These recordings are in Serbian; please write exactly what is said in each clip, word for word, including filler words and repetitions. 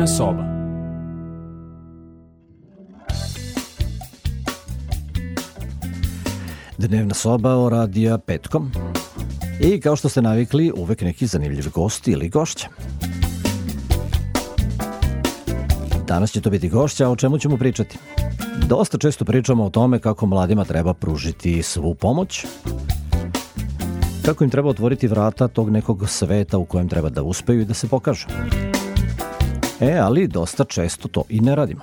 Dnevna soba. Dnevna soba o radija petkom. I kao što ste navikli, uvek neki zanimljiv gosti ili gošća. Danas će to biti gošća, o čemu ćemo pričati? Dosta često pričamo o tome kako mladima treba pružiti svu pomoć, kako im treba otvoriti vrata tog nekog sveta u kojem treba da uspeju i da se pokažu. E, ali dosta često to i ne radimo.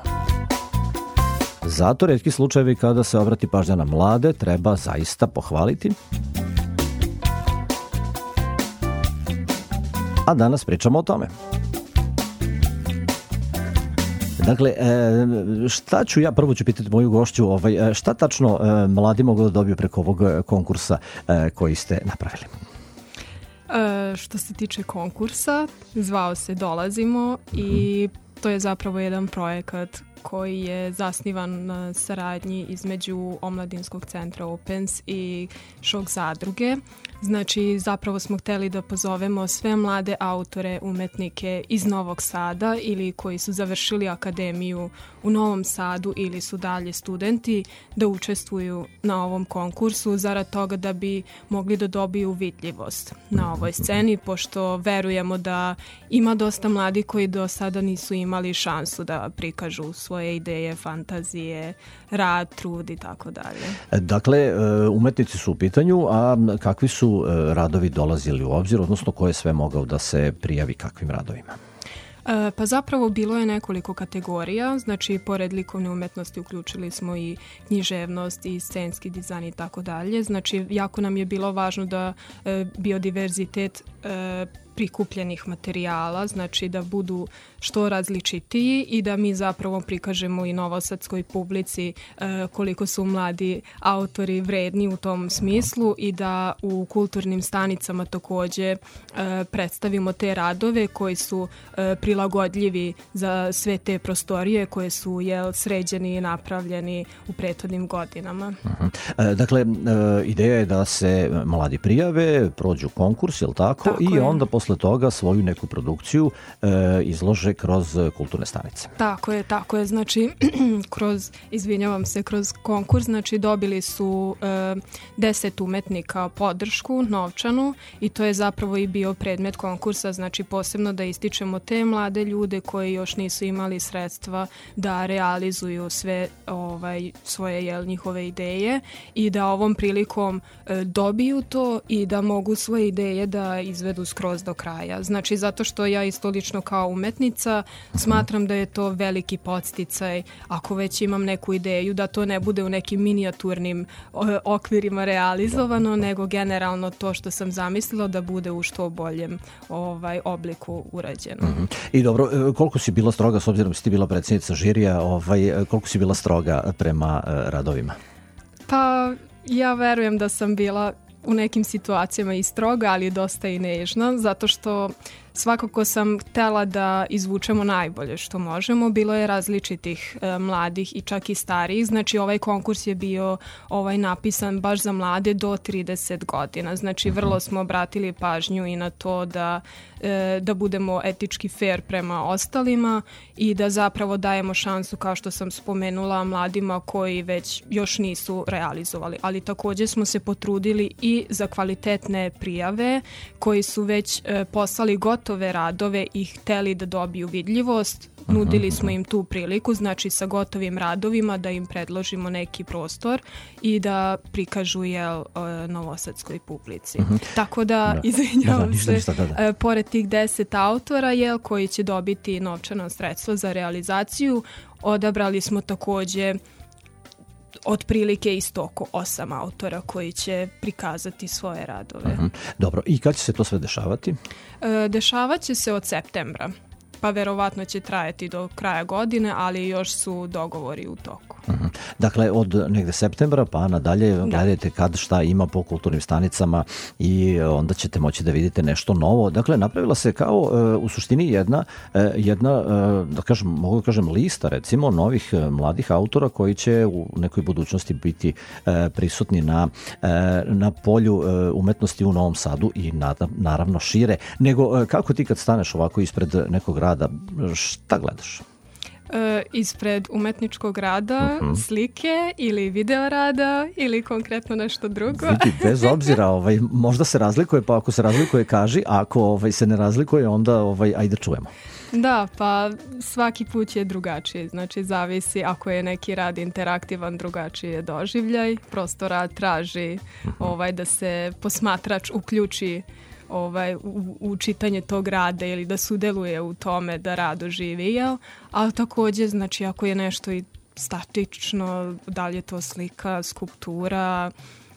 Zato retki slučajevi kada se obrati pažnja na mlade treba zaista pohvaliti. A danas pričamo o tome. Dakle, šta ću ja, prvo ću pitati moju gošću, ovaj, šta tačno mladi mogu da dobiju preko ovog konkursa koji ste napravili? E, što se tiče konkursa, zvao se Dolazimo i to je zapravo jedan projekat koji je zasnivan na saradnji između Omladinskog centra Opens i Šok zadruge. Znači, zapravo smo hteli da pozovemo sve mlade autore, umetnike iz Novog Sada ili koji su završili akademiju u Novom Sadu ili su dalje studenti da učestvuju na ovom konkursu zarad toga da bi mogli da dobiju vidljivost na ovoj sceni, pošto verujemo da ima dosta mladih koji do sada nisu imali šansu da prikažu svoje ideje, fantazije, rad, trud i tako dalje. Dakle, umetnici su u pitanju, a kakvi su radovi dolazili u obzir, odnosno ko je sve mogao da se prijavi kakvim radovima? E, pa zapravo bilo je nekoliko kategorija, znači pored likovne umetnosti uključili smo i književnost i scenski dizajn i tako dalje. Znači jako nam je bilo važno da e, biodiverzitet e, prikupljenih materijala, znači da budu što različitiji i da mi zapravo prikažemo i novosadskoj publici e, koliko su mladi autori vredni u tom smislu i da u kulturnim stanicama takođe e, predstavimo te radove koji su e, prilagodljivi za sve te prostorije koje su jel, sređeni i napravljeni u prethodnim godinama. Uh-huh. E, dakle, e, ideja je da se mladi prijave, prođu konkurs, jel tako? Tako I je. onda posle toga svoju neku produkciju e, izlože kroz kulturne stanice. Tako je, tako je. Znači, kroz, izvinjavam se, kroz konkurs, znači dobili su e, deset umetnika podršku, novčanu i to je zapravo i bio predmet konkursa, znači posebno da ističemo te mlade ljude koji još nisu imali sredstva da realizuju sve ovaj, svoje jel, njihove ideje i da ovom prilikom e, dobiju to i da mogu svoje ideje da izvedu skroz do kraja. Znači, zato što ja isto lično kao umetnica smatram da je to veliki podsticaj ako već imam neku ideju, da to ne bude u nekim minijaturnim okvirima realizovano, nego generalno to što sam zamislila da bude u što boljem ovaj, obliku urađeno. Mm-hmm. I dobro, koliko si bila stroga, s obzirom si ti bila predsjednica žirija, ovaj, koliko si bila stroga prema radovima? Pa, ja verujem da sam bila u nekim situacijama i stroga, ali dosta i nežna, zato što svakako sam htela da izvučemo najbolje što možemo. Bilo je različitih e, mladih i čak i starijih. Znači ovaj konkurs je bio ovaj napisan baš za mlade do trideset godina. Znači vrlo smo obratili pažnju i na to da, e, da budemo etički fair prema ostalima i da zapravo dajemo šansu, kao što sam spomenula, mladima koji već još nisu realizovali. Ali također smo se potrudili i za kvalitetne prijave koji su već e, poslali gotovo radove i hteli da dobiju vidljivost. Nudili smo im tu priliku, znači sa gotovim radovima da im predložimo neki prostor i da prikažu jel, novosadskoj publici. Uh-huh. Tako da, da. izvinjavam da, da, se, da, da. pored tih deset autora jel, koji će dobiti novčana sredstva za realizaciju, odabrali smo također otprilike isto oko osam autora koji će prikazati svoje radove. Uh-huh. Dobro, i kad će se to sve dešavati? E, dešavat će se od septembra, pa verovatno će trajati do kraja godine, ali još su dogovori u toku. Uh-huh. Dakle, od negde septembra pa nadalje da. Gledajte kad šta ima po kulturnim stanicama i onda ćete moći da vidite nešto novo. Dakle, napravila se kao uh, u suštini jedna, uh, jedna uh, da kažem, mogu da kažem lista recimo novih uh, mladih autora koji će u nekoj budućnosti biti uh, prisutni na, uh, na polju uh, umetnosti u Novom Sadu i na, naravno šire. Nego, uh, kako ti kad staneš ovako ispred nekog rada, šta gledaš? E, ispred umetničkog rada, uh-huh. slike ili video rada ili konkretno nešto drugo. Vidi, bez obzira, ovaj, možda se razlikuje, pa ako se razlikuje kaži, a ako ovaj, se ne razlikuje, onda ovaj, ajde čujemo. Da, pa svaki put je drugačiji, znači zavisi ako je neki rad interaktivan, drugačiji je doživljaj, prosto rad traži uh-huh. ovaj, da se posmatrač uključi ovaj, u, u čitanje tog rada ili da sudeluje u tome da rad oživi, jel? Ali takođe, znači, ako je nešto i statično, da li je to slika, skulptura,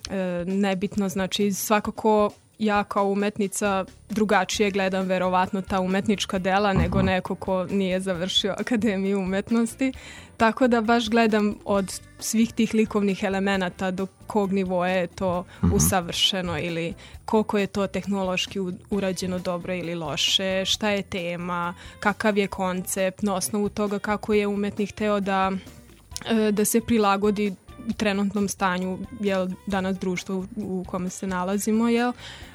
e, nebitno, znači svakako ja kao umetnica drugačije gledam verovatno ta umetnička dela nego uh-huh. neko ko nije završio Akademiju umetnosti. Tako da baš gledam od svih tih likovnih elemenata do kog nivoa je to uh-huh. usavršeno ili koliko je to tehnološki urađeno dobro ili loše, šta je tema, kakav je koncept, na osnovu toga kako je umetnik hteo da, da se prilagodi trenutnom stanju, jel, danas društvo u kome se nalazimo, jel,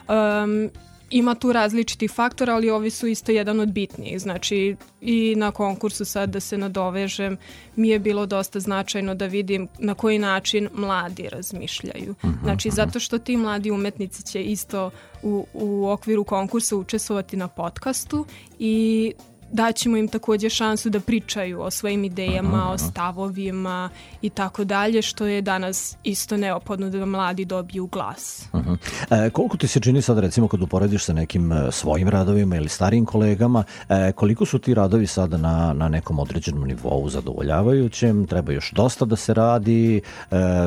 um, ima tu različitih faktora, ali ovi su isto jedan od bitnijih. Znači, i na konkursu sad da se nadovežem, mi je bilo dosta značajno da vidim na koji način mladi razmišljaju. Znači, zato što ti mladi umetnici će isto u, u okviru konkursa učestvovati na podcastu i daćemo im takođe šansu da pričaju o svojim idejama, aha, o stavovima i tako dalje, što je danas isto neophodno da mladi dobiju glas. Uh-huh. E, koliko ti se čini sad recimo kad uporediš sa nekim svojim radovima ili starijim kolegama, e, koliko su ti radovi sada na, na nekom određenom nivou zadovoljavajućem, treba još dosta da se radi, e,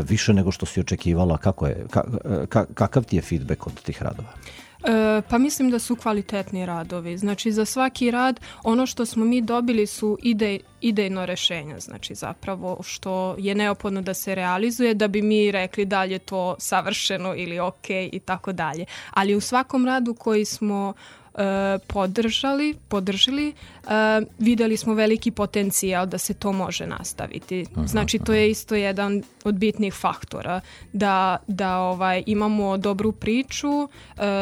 više nego što si očekivala, kako je, ka, ka, kakav ti je feedback od tih radova? E, pa mislim da su kvalitetni radovi. Znači za svaki rad ono što smo mi dobili su idej, idejno rešenje, znači zapravo što je neophodno da se realizuje da bi mi rekli da li je to savršeno ili ok i tako dalje. Ali u svakom radu koji smo podržali, podržali, uh, videli smo veliki potencijal da se to može nastaviti. Znači to je isto jedan od bitnih faktora da, da ovaj, imamo dobru priču, uh,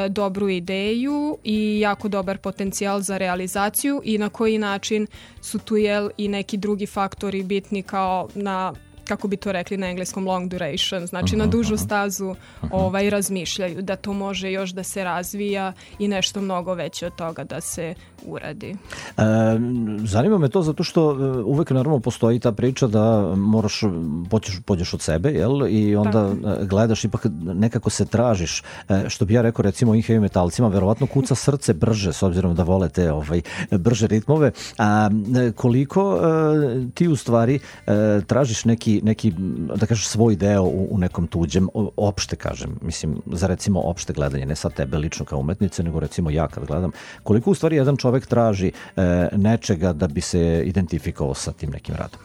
dobru ideju i jako dobar potencijal za realizaciju i na koji način su tu jel i neki drugi faktori bitni kao na kako bi to rekli na engleskom long duration, znači uh-huh, na dužu stazu uh-huh. ovaj, razmišljaju da to može još da se razvija i nešto mnogo veće od toga da se uradi. E, zanima me to zato što uvek naravno postoji ta priča da moraš, pođeš, pođeš od sebe, jel? I onda tako gledaš, ipak nekako se tražiš, što bi ja rekao recimo ovim heavy metalcima, verovatno kuca srce brže s obzirom da vole te ovaj, brže ritmove. A koliko a, ti u stvari a, tražiš neki neki, da kažeš, svoj deo u, u nekom tuđem, opšte kažem, mislim, za recimo opšte gledanje, ne sad tebe lično kao umetnice, nego recimo ja kad gledam, koliko u stvari jedan čovek traži e, nečega da bi se identifikovao sa tim nekim radom?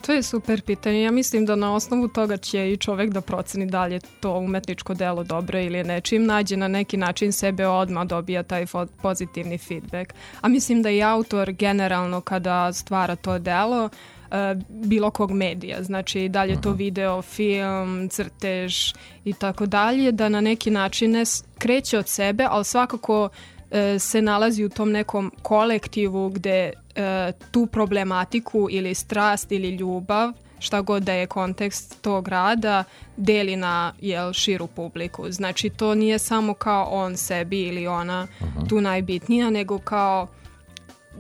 To je super pitanje. Ja mislim da na osnovu toga će i čovek da proceni da li je to umetničko delo dobro ili ne. Čim nađe na neki način sebe odmah dobija taj fo- pozitivni feedback. A mislim da i autor generalno kada stvara to delo Uh, bilo kog medija, znači da li je to video, film, crtež i tako dalje, da na neki način ne kreće od sebe, ali svakako uh, se nalazi u tom nekom kolektivu gde uh, tu problematiku ili strast ili ljubav, šta god da je kontekst tog rada, deli na jel, širu publiku. Znači to nije samo kao on sebi ili ona uh-huh. tu najbitnija, nego kao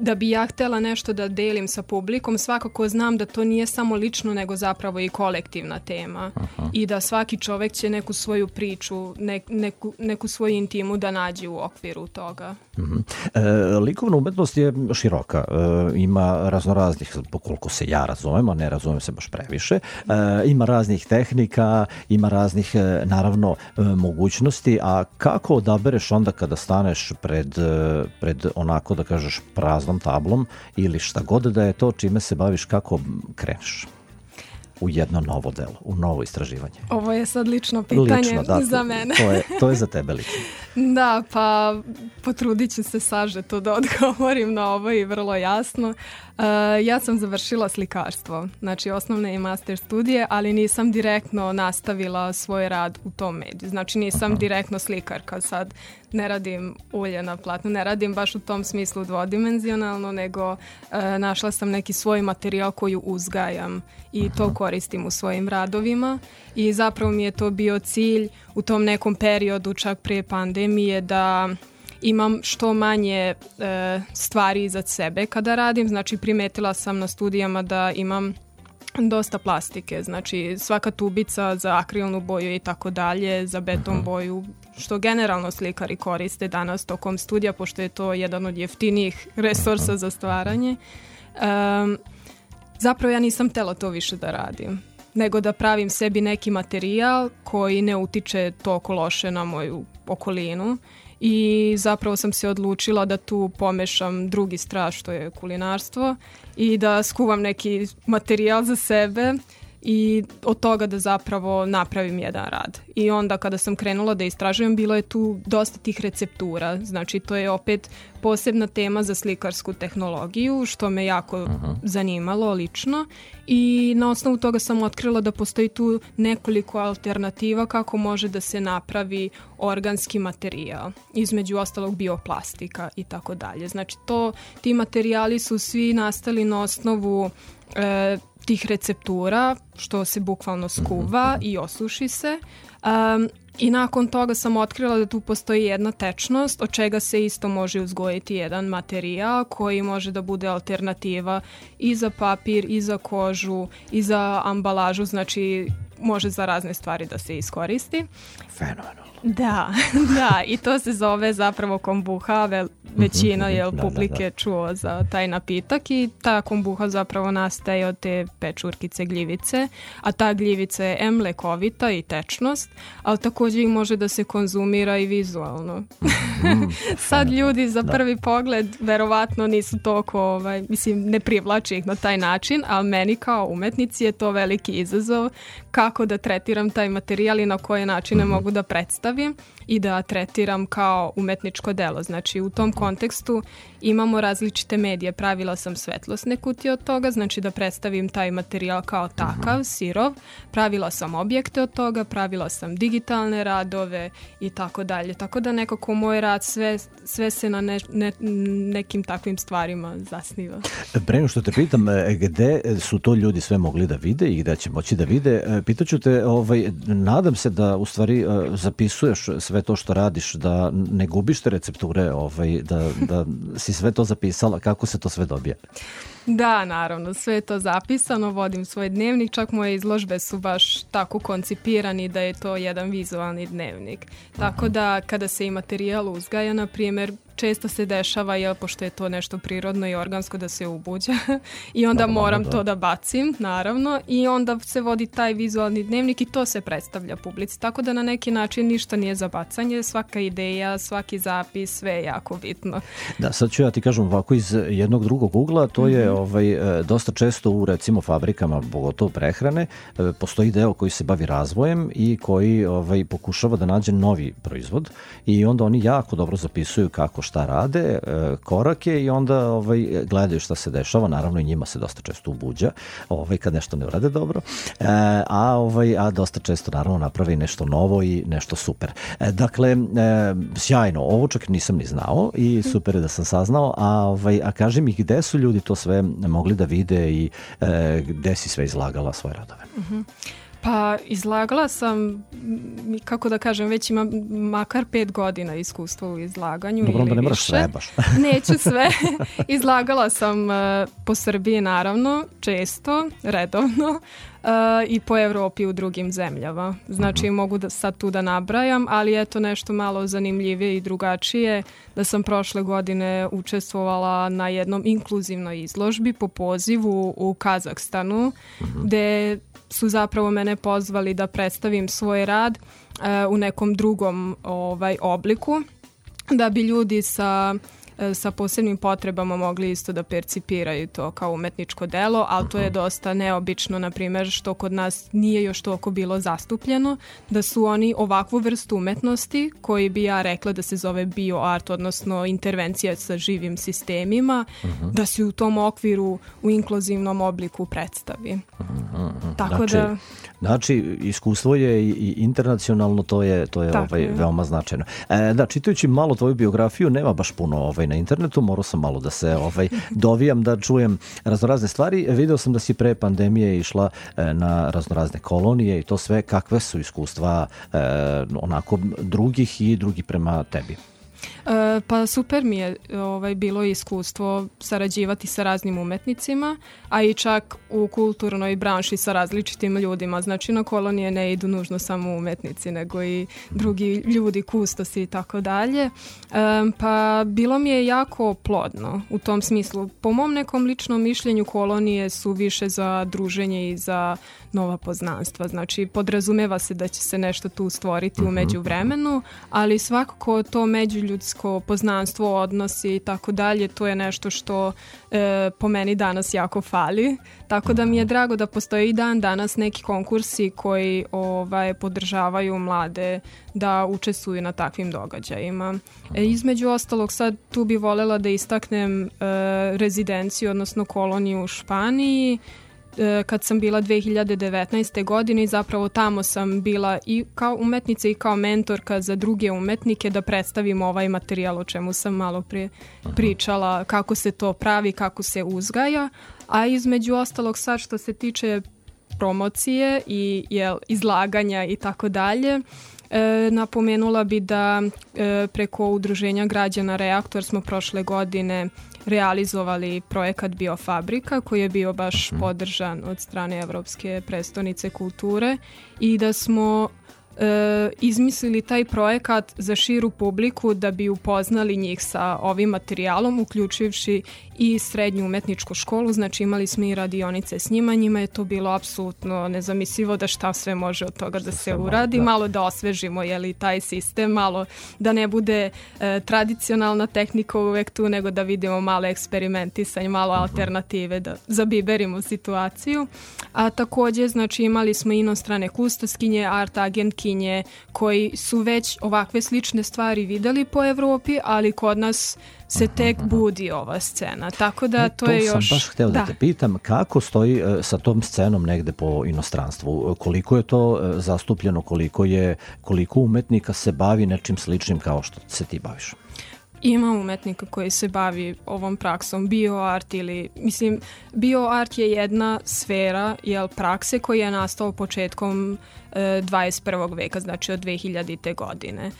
da bi ja htela nešto da delim sa publikom, svakako znam da to nije samo lično, nego zapravo i kolektivna tema. Aha. I da svaki čovek će neku svoju priču, ne, neku, neku svoju intimu da nađe u okviru toga. Uh-huh. E, likovna umetnost je široka. E, ima raznoraznih, pokoliko se ja razumem, a ne razumem se baš previše, e, ima raznih tehnika, ima raznih, e, naravno, e, mogućnosti, a kako odabereš onda kada staneš pred, pred onako, da kažeš, prazno tablom ili šta god da je to čime se baviš, kako kreneš? u jedno novo delo, u novo istraživanje? Ovo je sad lično pitanje lično, da, za mene. To je, to je za tebe lično. Da, pa potrudit ću se sažeto da odgovorim na ovo i vrlo jasno. Uh, ja sam završila slikarstvo, znači osnovne i master studije, ali nisam direktno nastavila svoj rad u tom mediju. Znači nisam Aha. direktno slikarka, sad ne radim ulje na platnu, ne radim baš u tom smislu dvodimenzionalno, nego uh, našla sam neki svoj materijal koji uzgajam i Aha. to koristim u svojim radovima i zapravo mi je to bio cilj u tom nekom periodu, čak prije pandemije, da imam što manje e, stvari iza sebe kada radim. Znači primetila sam na studijama da imam dosta plastike, znači svaka tubica za akrilnu boju i tako dalje, za beton boju, što generalno slikari koriste danas tokom studija, pošto je to jedan od jeftinijih resursa za stvaranje. E, zapravo ja nisam htjela to više da radim, nego da pravim sebi neki materijal koji ne utiče toliko loše na moju okolinu. I zapravo sam se odlučila da tu pomešam drugi strast, što je kulinarstvo, i da skuvam neki materijal za sebe i od toga da zapravo napravim jedan rad. I onda kada sam krenula da istražujem, bilo je tu dosta tih receptura. Znači to je opet posebna tema za slikarsku tehnologiju, što me jako uh-huh. zanimalo lično. I na osnovu toga sam otkrila da postoji tu nekoliko alternativa kako može da se napravi organski materijal, između ostalog bioplastika i tako dalje. Znači to, ti materijali su svi nastali na osnovu e, tih receptura, što se bukvalno skuva i osuši se. Um, I nakon toga sam otkrila da tu postoji jedna tečnost, od čega se isto može uzgojiti jedan materijal koji može da bude alternativa i za papir, i za kožu, i za ambalažu, znači može za razne stvari da se iskoristi. Fenomenalno. Da, da, i to se zove zapravo kombuha, Ve, većina je da, publike da, da. čuo za taj napitak i ta kombuha zapravo nastaje od te pečurkice gljivice, a ta gljivica je em lekovita i tečnost, ali također i može da se konzumira i vizualno. Mm, Sad ljudi za prvi da. pogled verovatno nisu toliko, ovaj, mislim, ne privlači ih na taj način, ali meni kao umetnici je to veliki izazov kako da tretiram taj materijal i na koje načine mm-hmm. mogu da predstavim i da tretiram kao umetničko delo. Znači u tom kontekstu imamo različite medije. Pravila sam svetlosne kutije od toga, znači da predstavim taj materijal kao takav, sirov. Pravila sam objekte od toga, pravila sam digitalne radove i tako dalje. Tako da nekako moj rad sve, sve se na ne, ne, nekim takvim stvarima zasniva. Pre nego što te pitam, gde su to ljudi sve mogli da vide i gde će moći da vide, pitaću te, ovaj, nadam se da u stvari zapisuješ sve to što radiš, da ne gubiš te recepture, ovaj, da, da si sve to zapisala, kako se to sve dobija? Da, naravno, sve je to zapisano, vodim svoj dnevnik, čak moje izložbe su baš tako koncipirani da je to jedan vizualni dnevnik. Tako da kada se i materijal uzgaja, na primjer, često se dešava, jel, pošto je to nešto prirodno i organsko, da se ubuđa i onda no, moram no, to da bacim, naravno, i onda se vodi taj vizualni dnevnik i to se predstavlja publici. Tako da na neki način ništa nije za bacanje, svaka ideja, svaki zapis, sve je jako bitno. Da, sad ću ja ti kažem ovako iz jednog drugog ugla, to mm-hmm. je ovaj, dosta često u recimo fabrikama, pogotovo prehrane, postoji deo koji se bavi razvojem i koji ovaj, pokušava da nađe novi proizvod i onda oni jako dobro zapisuju kako šta rade, korake i onda ovaj, gledaju šta se dešava, naravno i njima se dosta često ubuđa ovaj, kad nešto ne urade dobro, e, a, ovaj, a dosta često naravno napravi nešto novo i nešto super. E, dakle, e, sjajno, ovo čak nisam ni znao i super je da sam saznao, a, ovaj, a kaži mi gde su ljudi to sve mogli da vide i e, gde si sve izlagala svoje radove? Mhm. Pa izlagala sam, kako da kažem, već imam makar pet godina iskustva u izlaganju. Dobro, ili da ne moraš više. sve baš. Neću sve. Izlagala sam uh, po Srbiji naravno, često, redovno uh, i po Evropi u drugim zemljama. Znači uh-huh. mogu da sad tu da nabrajam, ali eto nešto malo zanimljivije i drugačije, da sam prošle godine učestvovala na jednom inkluzivnoj izložbi po pozivu u Kazahstanu, uh-huh. gde su zapravo mene pozvali da predstavim svoj rad uh, u nekom drugom ovaj, obliku, da bi ljudi sa e, sa posebnim potrebama mogli isto da percipiraju to kao umetničko delo, ali to je dosta neobično, na primjer, što kod nas nije još toliko bilo zastupljeno, da su oni ovakvu vrstu umetnosti, koji bi ja rekla da se zove bioart, odnosno intervencija sa živim sistemima, uh-huh. da se u tom okviru u inkluzivnom obliku predstavi. Uh-huh. Tako znači, da... Znači, iskustvo je i internacionalno, to je, to je ovaj, je. veoma značajno. E, da, čitajući malo tvoju biografiju, nema baš puno ovaj, na internetu, morao sam malo da se ovaj, dovijam, da čujem raznorazne stvari. Video sam da si pre pandemije išla e, na raznorazne kolonije i to sve. Kakve su iskustva e, onako drugih i drugi prema tebi? E, pa super mi je ovaj, bilo iskustvo sarađivati sa raznim umetnicima, a i čak u kulturnoj branši sa različitim ljudima. Znači na kolonije ne idu nužno samo umetnici, nego i drugi ljudi, kustosi i tako dalje. E, pa bilo mi je jako plodno u tom smislu. Po mom nekom ličnom mišljenju kolonije su više za druženje i za nova poznanstva. Znači podrazumeva se da će se nešto tu stvoriti u međuvremenu, ali svakako to međuljudsko poznanstvo, odnosi i tako dalje, to je nešto što e, po meni danas jako fali. Tako da mi je drago da postoji i dan danas neki konkursi koji ovaj, podržavaju mlade da učestvuju na takvim događajima. E, između ostalog, sad tu bi voljela da istaknem e, rezidenciju, odnosno koloniju u Španiji, kad sam bila dve hiljade devetnaeste. godine i zapravo tamo sam bila i kao umetnica i kao mentorka za druge umetnike da predstavim ovaj materijal o čemu sam malo prije pričala, kako se to pravi, kako se uzgaja, a između ostalog sad što se tiče promocije i jel, izlaganja i tako dalje, E, napomenula bi da e, preko Udruženja građana Reaktor smo prošle godine realizovali projekat Biofabrika koji je bio baš podržan od strane Evropske prestonice kulture i da smo e, izmislili taj projekat za širu publiku da bi upoznali njih sa ovim materijalom, uključivši i srednju umetničku školu, znači imali smo i radionice s njima, njima je to bilo apsolutno nezamislivo da šta sve može od toga da se uradi, malo da osvežimo jeli, taj sistem, malo da ne bude e, tradicionalna tehnika uvek tu, nego da vidimo malo eksperimentisanje, malo alternative, da zabiberimo situaciju. A takođe, znači imali smo inostrane kustoskinje, art agentkinje koji su već ovakve slične stvari videli po Evropi, ali kod nas se tek budi ova scena. Tako da to, to je još... To sam baš hteo da. da te pitam, kako stoji sa tom scenom negde po inostranstvu? Koliko je to zastupljeno, koliko je, koliko umetnika se bavi nečim sličnim kao što se ti baviš? Ima umetnika koji se bavi ovom praksom, bioart ili, mislim, bioart je jedna sfera, jel, prakse koja je nastao početkom e, dvadeset prvog veka, znači od dve hiljadite. godine. E,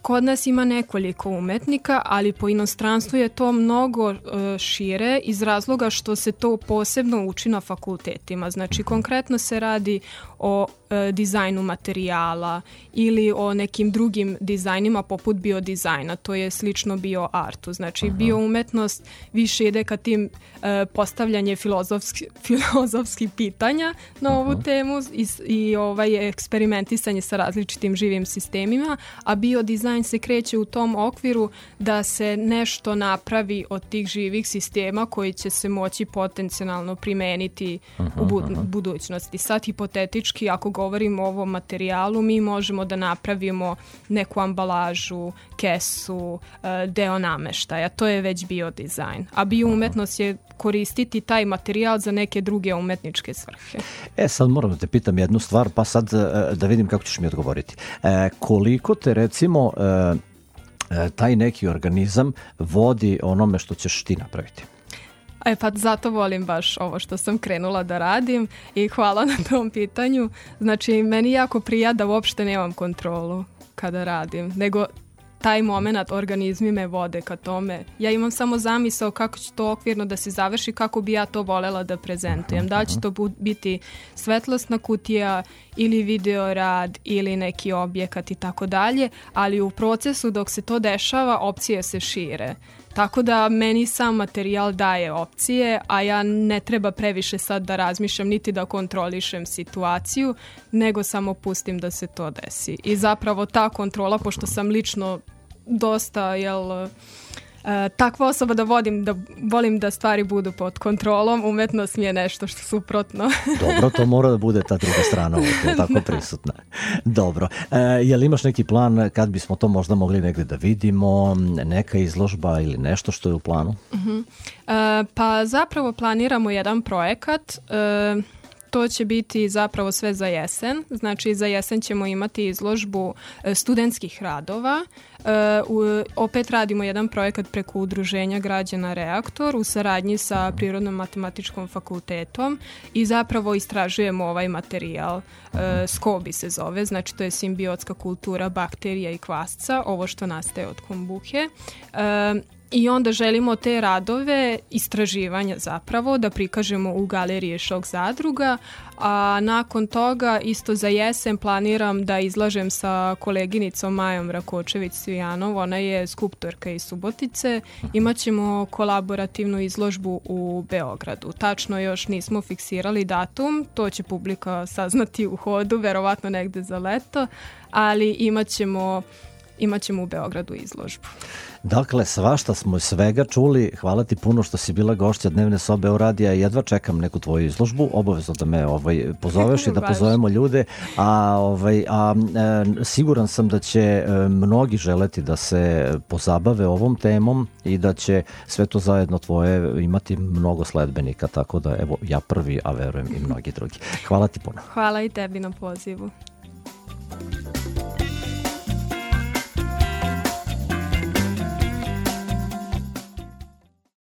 kod nas ima nekoliko umetnika, ali po inostranstvu je to mnogo e, šire iz razloga što se to posebno uči na fakultetima. Znači, konkretno se radi o e, dizajnu materijala ili o nekim drugim dizajnima poput biodizajna, to je slično bioartu. Znači, uh-huh. bioumetnost više ide ka tim e, postavljanje filozofski, filozofskih pitanja na ovu uh-huh. temu i, i ovaj eksperimentisanje sa različitim živim sistemima, a biodizajn se kreće u tom okviru da se nešto napravi od tih živih sistema koji će se moći potencijalno primeniti uh-huh. u bu- budućnosti. Sad, hipotetički, ako govorimo o ovom materijalu, mi možemo da napravimo neku ambalažu, kesu, deo nameštaja. To je već biodizajn. A bioumetnost je koristiti taj materijal za neke druge umetničke svrhe. E, sad moram da te pitam jednu stvar, pa sad da vidim kako ćeš mi odgovoriti. E, koliko te, recimo, e, taj neki organizam vodi onome što ćeš ti napraviti? E pa zato volim baš ovo što sam krenula da radim i hvala na tom pitanju. Znači, meni jako prija da uopšte nemam kontrolu kada radim, nego taj moment organizmi me vode ka tome. Ja imam samo zamisao kako će to okvirno da se završi, kako bi ja to volela da prezentujem. Da li će to biti svetlosna kutija ili video rad ili neki objekat i tako dalje, ali u procesu dok se to dešava opcije se šire. Tako da meni sam materijal daje opcije, a ja ne treba previše sad da razmišljam niti da kontrolišem situaciju, nego samo pustim da se to desi. I zapravo ta kontrola, pošto sam lično dosta, jel, e, takva osoba da vodim, da volim da stvari budu pod kontrolom. Umetnost mi je nešto što suprotno. Dobro, to mora da bude ta druga strana ovdje, tako prisutna. Dobro. E, je li imaš neki plan kad bismo to možda mogli negdje da vidimo, neka izložba ili nešto što je u planu? Uh-huh. e, pa zapravo planiramo jedan projekat. E, To će biti zapravo sve za jesen. Znači za jesen ćemo imati izložbu studentskih radova. E, u, opet radimo jedan projekat preko Udruženja građana Reaktor u saradnji sa Prirodno-matematičkom fakultetom i zapravo istražujemo ovaj materijal. E, Skobi se zove, znači to je simbiotska kultura bakterija i kvasca, ovo što nastaje od kombuhe. E, I onda želimo te radove istraživanja zapravo da prikažemo u galeriji Šok zadruga, a nakon toga isto za jesen planiram da izlažem sa koleginicom Majom Rakočević-Cvijanov, ona je skulptorka iz Subotice. Imaćemo kolaborativnu izložbu u Beogradu. Tačno još nismo fiksirali datum, to će publika saznati u hodu, verovatno negde za leto, ali imaćemo Imaćemo u Beogradu izložbu. Dakle, svašta smo svega čuli. Hvala ti puno što si bila gošća Dnevne sobe o radija. Jedva čekam neku tvoju izložbu. Obavezno da me ovaj, pozoveš i da pozovemo ljude. A, ovaj, a e, siguran sam da će e, mnogi želeti da se pozabave ovom temom i da će sve to zajedno tvoje imati mnogo sledbenika. Tako da, evo, ja prvi, a verujem i mnogi drugi. Hvala ti puno. Hvala i tebi na pozivu.